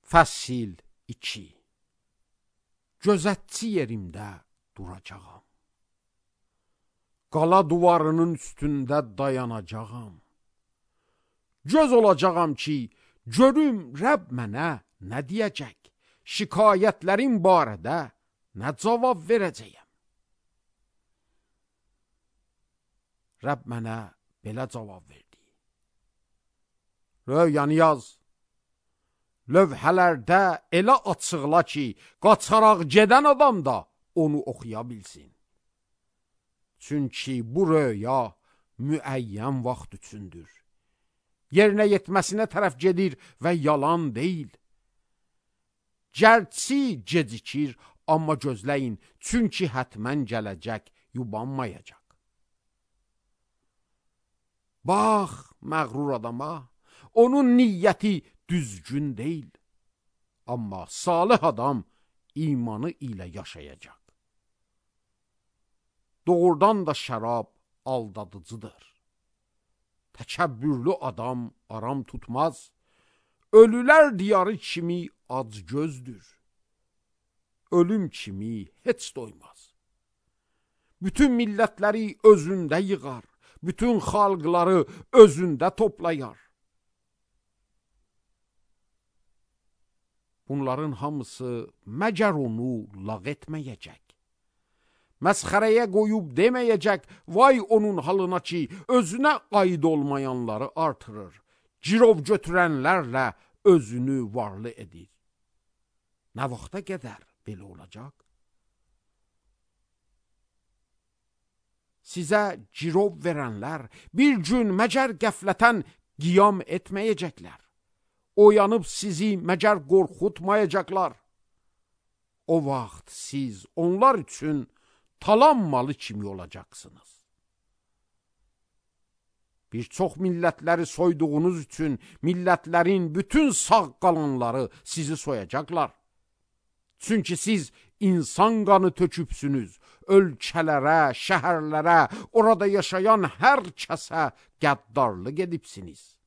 Fəsil 2. Gözətçi yerimdə duracağam. Qala duvarının üstündə dayanacağam. Göz olacağam ki, görüm Rəbb mənə nə deyəcək, şikayətlərim barədə nə cavab verəcəyəm. Rəbb mənə belə cavab verdi. Röyanı yaz. Lövhələrdə elə açıqla ki, qaçaraq gedən adam da onu oxuya bilsin. Çünki bu röya müəyyən vaxt üçündür. Yerinə yetməsinə tərəf gedir və yalan deyil. Gərçi gecikir, amma gözləyin, çünki hətmən gələcək, yubanmayacaq. Bax, məğrur adama, onun niyyəti düzgün deyil. Amma salih adam imanı ilə yaşayacaq. Doğrudan da şərab aldadıcıdır. Təkəbbürlü adam aram tutmaz. Ölülər diyarı kimi acgözdür. Ölüm kimi heç doymaz. Bütün millətləri özündə yığar. Bütün xalqları özündə toplayar. Bunların hamısı məgər onu lağ etməyəcək. Məsxərəyə qoyub deməyəcək, vay onun halına ki, özünə aid olmayanları artırır. Girov götürənlərlə özünü varlı edir. Nə vaxta qədər belə olacaq? Sizə girov verənlər bir gün məgər qəflətən qiyam etməyəcəklər. Oyanıb sizi məgər qorxutmayacaqlar. O vaxt siz onlar üçün talan malı kimi olacaqsınız. Bir çox millətləri soyduğunuz üçün millətlərin bütün sağ qalanları sizi soyacaqlar. Çünki siz insan qanı tökübsünüz, ölkələrə, şəhərlərə, orada yaşayan hər kəsə qəddarlıq edibsiniz.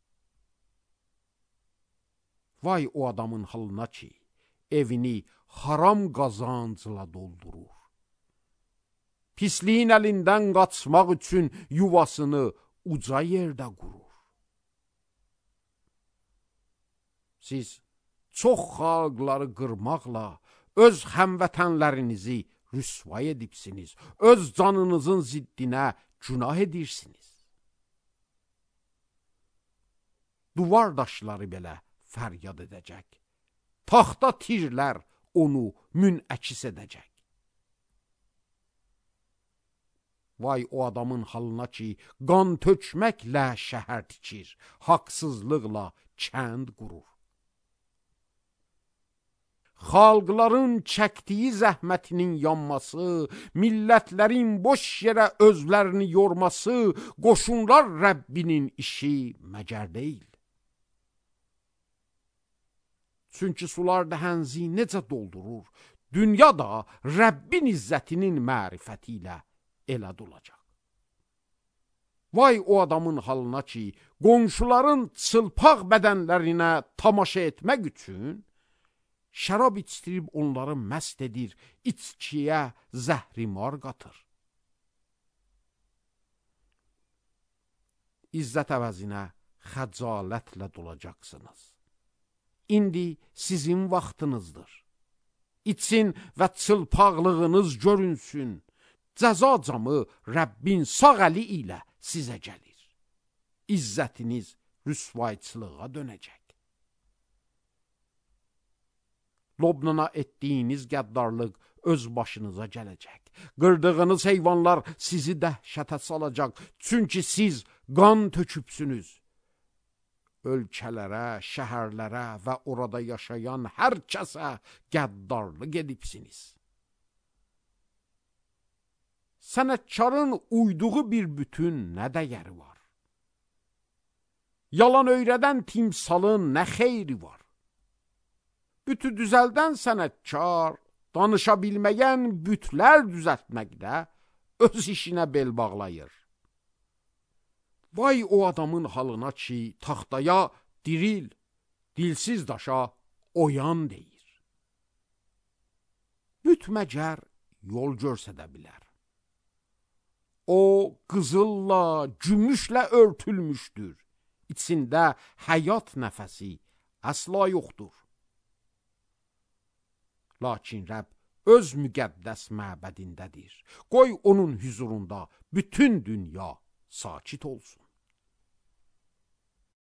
Vay o adamın halına ki, evini haram qazancla doldurur. Pisliyin əlindən qaçmaq üçün yuvasını uca yerdə qurur. Siz çox xalqları qırmaqla öz həmvətənlərinizi rüsvay edibsiniz. Öz canınızın ziddinə günah edirsiniz. Duvar daşları belə fəryad edəcək. Taxta tirlər onu münəks edəcək. Vay o adamın halına ki, qan tökməklə şəhər tikir, haqsızlıqla kənd qurur. Xalqların çəkdiyi zəhmətinin yanması, millətlərin boş yerə özlərini yorması, qoşunlar Rəbbinin işi məgər deyil. Çünki sular dəhənzi necə doldurur, dünya da Rəbbin izzətinin mərifəti ilə elə dolacaq. Vay o adamın halına ki, qonşuların çılpaq bədənlərinə tamaşa etmək üçün şərab içdirib onları məst edir, içkiyə zəhrimar qatır. İzzət əvəzinə xəcalətlə dolacaqsınız. İndi sizin vaxtınızdır. İçin və çılpaqlığınız görünsün. Cəza camı Rəbbin sağ əli ilə sizə gəlir. İzzətiniz rüsvayçılığa dönəcək. Lobnana etdiyiniz qəddarlıq öz başınıza gələcək. Qırdığınız heyvanlar sizi dəhşətə salacaq. Çünki siz qan tökübsünüz. Ölkələrə, şəhərlərə və orada yaşayan hər kəsə qəddarlıq edibsiniz. Sənətkarın uyduğu bir bütün nə dəyəri var? Yalan öyrədən timsalın nə xeyri var? Bütü düzəldən sənətkar, danışa bilməyən bütlər düzəltməkdə öz işinə bel bağlayır. Vay o adamın halına ki, taxtaya diril, dilsiz daşa oyan deyir. Büt məgər yol görsədə bilər. O qızılla, gümüşlə örtülmüşdür. İçində həyat nəfəsi əsla yoxdur. Lakin Rəbb öz müqəddəs məbədindədir. Qoy onun huzurunda bütün dünya sakit olsun.